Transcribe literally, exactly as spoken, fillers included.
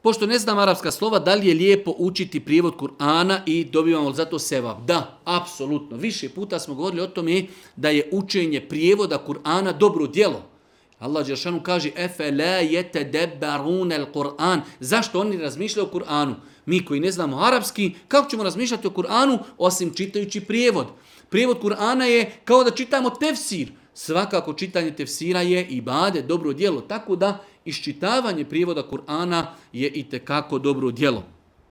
Pošto ne znam arapska slova, da li je lijepo učiti prijevod Kur'ana i dobivamo zato sevap? Da, apsolutno. Više puta smo govorili o tome da je učenje prijevoda Kur'ana dobro djelo. Allah dželešanu kaže efela yetadabbarun al-Qur'an. Zašto oni razmišljaju o Kur'anu? Mi koji ne znamo arapski, kako ćemo razmišljati o Kur'anu osim čitajući prijevod? Prijevod Kur'ana je kao da čitamo tefsir. Svakako čitanje tefsira je ibadet, dobro djelo. Tako da iščitavanje prijevoda Kur'ana je itekako dobro djelo.